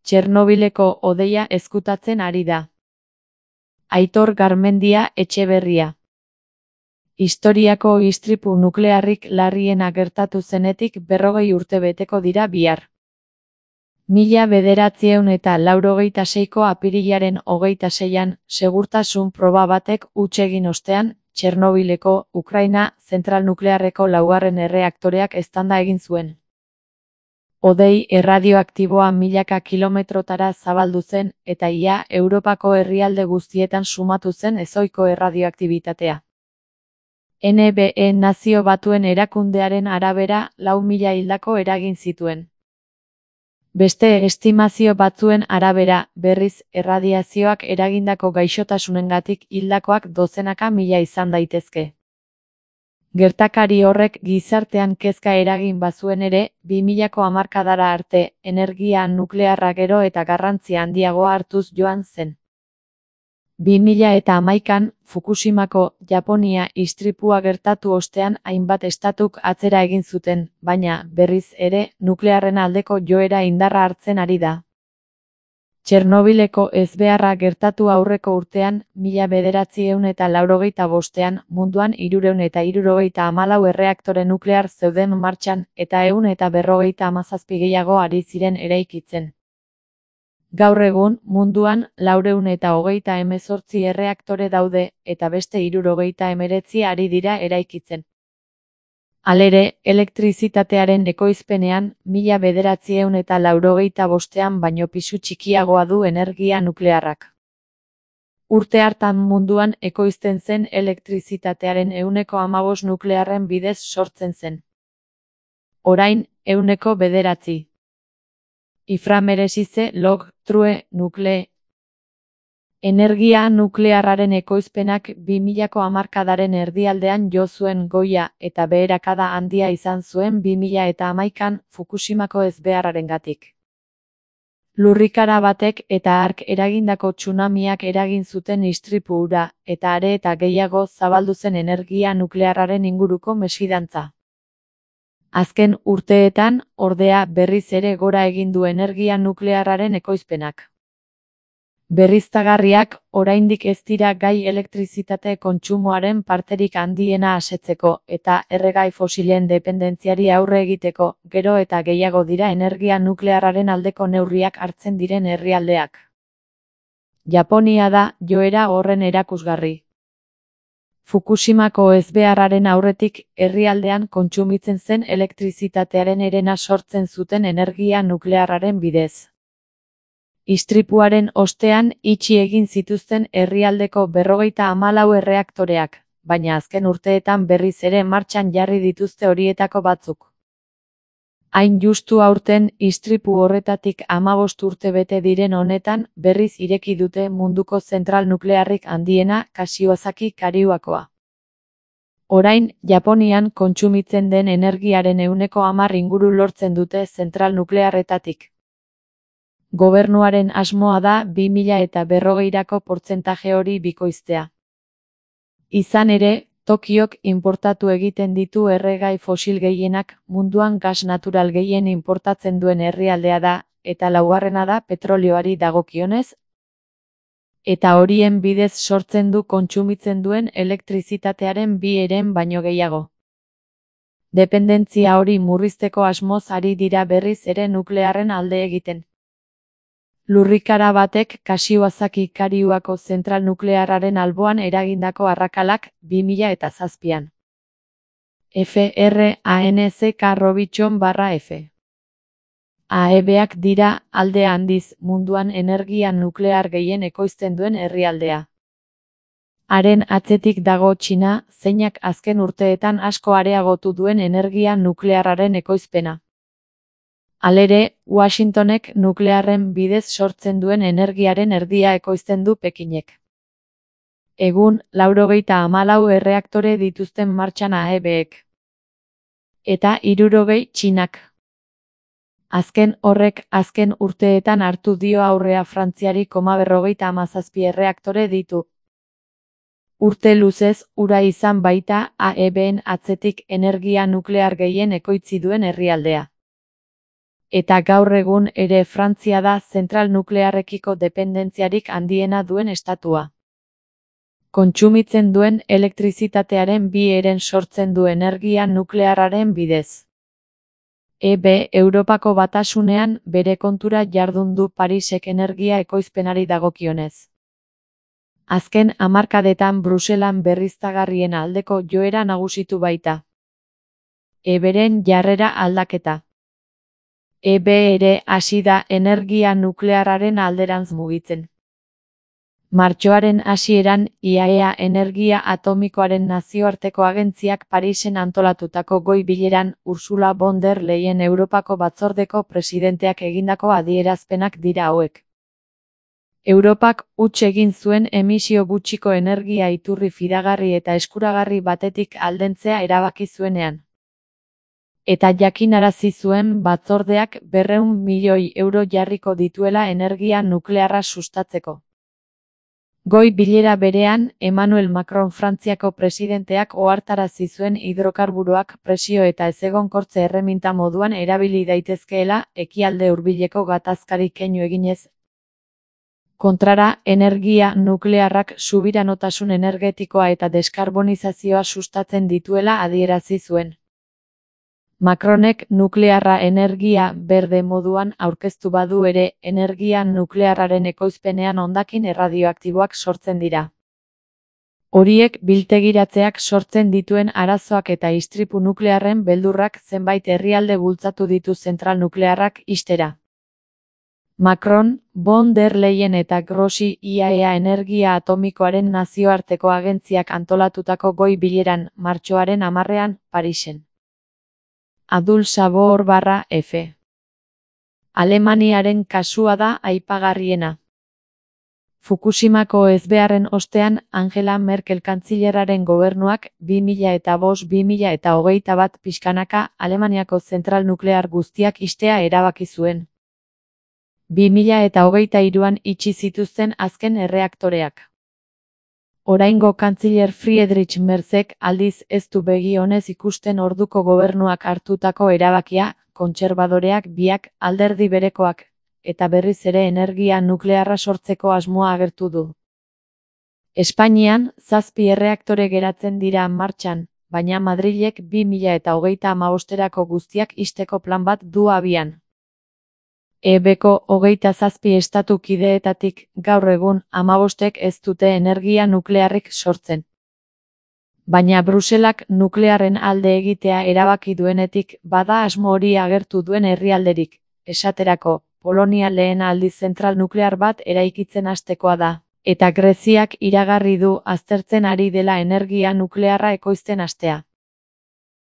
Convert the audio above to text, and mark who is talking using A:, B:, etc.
A: Txernobileko hodeia ezkutatzen ari da. Aitor Garmendia Etxeberria. Historiako istripu nuklearrik larriena gertatu zenetik 40 urte beteko dira bihar. 1986ko apirilaren 26an, segurtasun proba batek huts egin ostean, Txernobileko, Ukraina, zentral nuklearreko 4. erreaktoreak eztanda egin zuen. Hodei erradioaktiboa milaka kilometrotara zabaldu zen, eta ia Europako herrialde guztietan sumatu zen ezohiko erradioaktibitatea. NBE Nazio Batuen Erakundearen arabera 4.000 hildako eragin zituen. Beste estimazio batzuen arabera, berriz, erradiazioak eragindako gaixotasunengatik hildakoak dozenaka mila izan daitezke. Gertakari horrek gizartean kezka eragin bazuen ere, 2000ko hamarkadara arte, energia nuklearra gero eta garrantzia handiagoa hartuz joan zen. 2011an, Fukushimako, Japonia istripua gertatu ostean hainbat estatuk atzera egin zuten, baina, berriz ere, nuklearren aldeko joera indarra hartzen ari da. Txernobileko ezbeharra gertatu aurreko urtean, 1985ean, munduan 374 erreaktore nuklear zeuden martxan, eta 157 gehiago ari ziren eraikitzen. Gaur egun, munduan 428 erreaktore daude, eta beste 79 ari dira eraikitzen. Halere, elektrizitatearen ekoizpenean, 1985ean baino pisu txikiagoa du energia nuklearrak. Urte hartan munduan ekoizten zen elektrizitatearen 15% nuklearren bidez sortzen zen. Orain, 9%. Iframeresize log, true, nukle. Energia nuklearraren ekoizpenak 2000ko hamarkadaren erdialdean jo zuen goia eta beherakada handia izan zuen 2011an Fukushimako ezbeharrarengatik. Lurrikara batek eta hark eragindako tsunamiak eragin zuten istripu hura, eta are eta gehiago zabaldu zen energia nuklearraren inguruko mesfidantza. Azken urteetan, ordea, berriz ere gora egin du energia nuklearraren ekoizpenak. Berriztagarriak, oraindik ez dira gai elektrizitate kontsumoaren parterik handiena asetzeko, eta erregai fosilen dependentziari aurre egiteko, gero eta gehiago dira energia nuklearraren aldeko neurriak hartzen diren herrialdeak. Japonia da joera horren erakusgarri. Fukushimako ezbeharraren aurretik, herrialdean kontsumitzen zen elektrizitatearen herena sortzen zuten energia nuklearraren bidez. Istripuaren ostean itxi egin zituzten herrialdeko 54 erreaktoreak, baina azken urteetan berriz ere martxan jarri dituzte horietako batzuk. Hain justu aurten, istripu horretatik 15 urte bete diren honetan, berriz ireki dute munduko zentral nuklearrik handiena, Kashiwazaki Kariuakoa. Orain, Japonian kontsumitzen den energiaren 10% inguru lortzen dute zentral nuklearretatik. Gobernuaren asmoa da 2040ko portzentaje hori bikoiztea. Izan ere, Tokiok inportatu egiten ditu erregai fosil gehienak, munduan gas natural gehien inportatzen duen herrialdea da, eta laugarrena da petrolioari dagokionez, eta horien bidez sortzen du kontsumitzen duen elektrizitatearen 2 baino gehiago. Dependentzia hori murrizteko asmoz ari dira berriz ere nuklearren alde egiten. Lurrikara batek Kashiwazaki Kariuako zentral nuklearraren alboan eragindako arrakalak 2007an. FRANZK-F. AEBak dira, alde handiz, munduan energia nuklear gehien ekoizten duen herrialdea. Haren atzetik dago Txina, zeinak azken urteetan asko areagotu duen energia nuklearraren ekoizpena. Halere, Washingtonek nuklearren bidez sortzen duen energiaren erdia ekoizten du Pekinek. Egun, 94 erreaktore dituzten martxan AEBek. Eta 60 Txinak. Azken horrek, azken urteetan hartu dio aurrea Frantziari 57 erreaktore ditu. Urte luzez, ura izan baita AEBen atzetik energia nuklear gehien ekoitzi duen herrialdea. Eta gaur egun ere Frantzia da zentral nuklearrekiko dependentziarik handiena duen estatua. Kontsumitzen duen elektrizitatearen 2/3 sortzen du energia nuklearraren bidez. Europako Batasunean bere kontura jardun du Parisek energia ekoizpenari dagokionez. Azken hamarkadetan Bruselan berriztagarrien aldeko joera nagusitu baita. Beren jarrera aldaketa. Ere hasi da energia nuklearraren alderantz mugitzen. Martxoaren hasieran IAEA energia atomikoaren nazioarteko agentziak Parisen antolatutako goi bileran Ursula von der Leyen Europako batzordeko presidenteak egindako adierazpenak dira hauek. Europak huts egin zuen emisio gutxiko energia iturri fidagarri eta eskuragarri batetik aldentzea erabaki zuenean. Eta jakinarazi zuen batzordeak 200 milioi euro jarriko dituela energia nuklearra sustatzeko. Goi bilera berean, Emmanuel Macron Frantziako presidenteak ohartarazi zuen hidrokarburoak presio eta ezegonkortze erreminta moduan erabili daitezkeela ekialde hurbileko gatazkari keinu eginez. Kontrara, energia nuklearrak subiranotasun energetikoa eta deskarbonizazioa sustatzen dituela adierazi zuen. Macronek nuklearra energia berde moduan aurkeztu badu ere, energia nuklearraren ekoizpenean hondakin erradioaktiboak sortzen dira. Horiek biltegiratzeak sortzen dituen arazoak eta istripu nuklearren beldurrak zenbait herrialde bultzatu ditu zentral nuklearrak ixtera. Macron, von der Leyen eta Grossi IAEA energia atomikoaren nazioarteko agentziak antolatutako goi bileran martxoaren 10ean Parisen. Adul Sabor /F. Alemaniaren kasua da aipagarriena. Fukushimako ezbeharren ostean Angela Merkel kantzilerraren gobernuak 2005-2021 pixkanaka Alemaniako zentral nuklear guztiak ixtea erabaki zuen. 2023an itxi zituzten azken erreaktoreak. Oraingo kantziler Friedrich Merzek aldiz ez du begi onez ikusten orduko gobernuak hartutako erabakia, kontserbadoreak biak alderdi berekoak, eta berriz ere energia nuklearra sortzeko asmoa agertu du. Espainian, 7 erreaktore geratzen dira martxan, baina Madrilek 2035erako guztiak ixteko plan bat du abian. EBko 27 estatu kideetatik gaur egun 15ek ez dute energia nuklearrik sortzen. Baina Bruselak nuklearren alde egitea erabaki duenetik bada asmo hori agertu duen herrialderik, esaterako, Polonia lehen aldiz zentral nuklear bat eraikitzen hastekoa da, eta Greziak iragarri du aztertzen ari dela energia nuklearra ekoizten hastea.